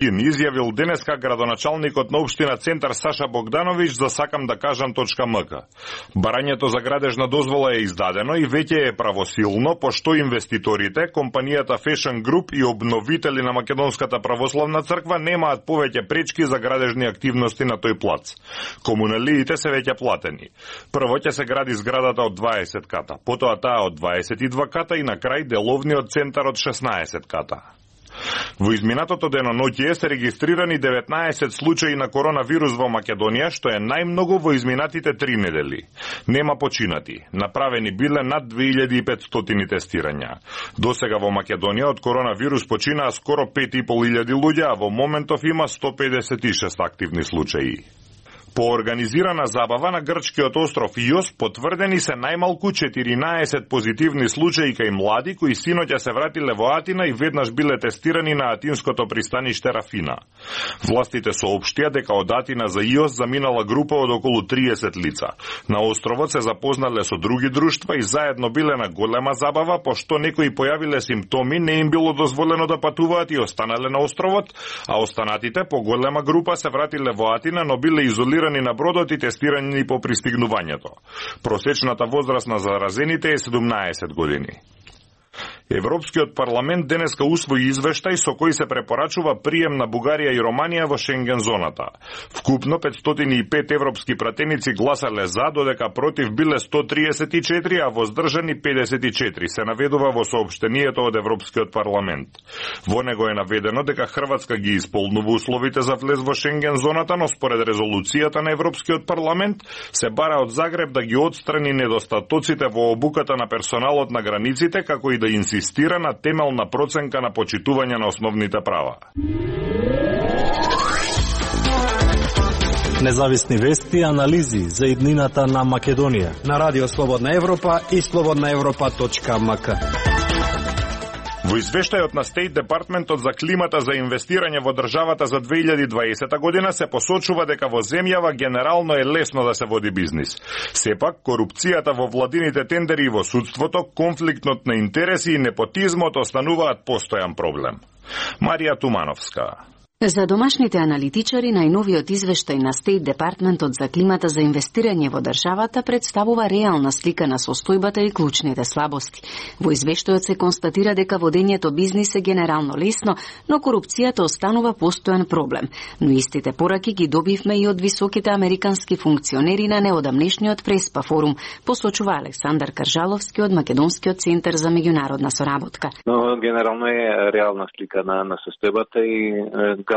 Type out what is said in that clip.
Изјавил денеска градоначалникот на општина Центар Саша Богдановиќ за сакам да кажам.мк. Барањето за градежна дозвола е издадено и веќе е правосилно, пошто инвеститорите, компанијата Fashion Group и обновители на Македонската православна црква немаат повеќе пречки за градежни активности на тој плац. Комуналиите се веќе платени. Прво ќе се гради зградата од 20 ката, потоа таа од 22 ката и на крај деловниот центар од 16 ката. Во изминатото деноноќие се регистрирани 19 случаи на коронавирус во Македонија, што е најмногу во изминатите 3 недели. Нема починати. Направени биле над 2500 тестирања. Досега во Македонија од коронавирус починаа скоро 5500 луѓе, а во моментов има 156 активни случаи. По организирана забава на грчкиот остров Иос потврдени се најмалку 14 позитивни случаи кај млади кои синоќа се вратиле во Атина и веднаш биле тестирани на атинското пристаниште Рафина. Властите соопштија дека од Атина за Иос заминала група од околу 30 лица. На островот се запознале со други друштва и заедно биле на голема забава, пошто некои појавиле симптоми, не им било дозволено да патуваат и останале на островот, а останатите по голема група се вратиле во Атина, но биле изолирани на бродот и тестирани по пристигнувањето. Просечната возраст на заразените е 17 години. Европскиот парламент денеска усвои извештај со кој се препорачува прием на Бугарија и Романија во Шенген зоната. Вкупно 505 европски пратеници гласале за, додека против биле 134, а воздржани 54, се наведува во соопштението од Европскиот парламент. Во него е наведено дека Хрватска ги исполнува условите за влез во Шенген зоната, но според резолуцијата на Европскиот парламент се бара од Загреб да ги отстрани недостатоците во обуката на персоналот на границите, како и да инсистира на темелна проценка на почитување на основните права. Независни вести и анализи за иднината на Македонија на Радио Слободна Европа и slobodnaevropa.mk. Во извештајот на State Departmentот за климата за инвестирање во државата за 2020 година се посочува дека во земјава генерално е лесно да се води бизнис. Сепак, корупцијата во владините тендери и во судството, конфликтот на интереси и непотизмот остануваат постојан проблем. Марија Тумановска. За домашните аналитичари, најновиот извештај на State Departmentот за климата за инвестирање во државата представува реална слика на состојбата и клучните слабости. Во извештајот се констатира дека водењето бизнис е генерално лесно, но корупцијата останува постојан проблем. Но истите пораки ги добивме и од високите американски функционери на неодамнешниот Преспа форум, посочува Александар Каржаловски од Македонскиот центар за меѓународна соработка. Но генерално е реална слика на состојбата и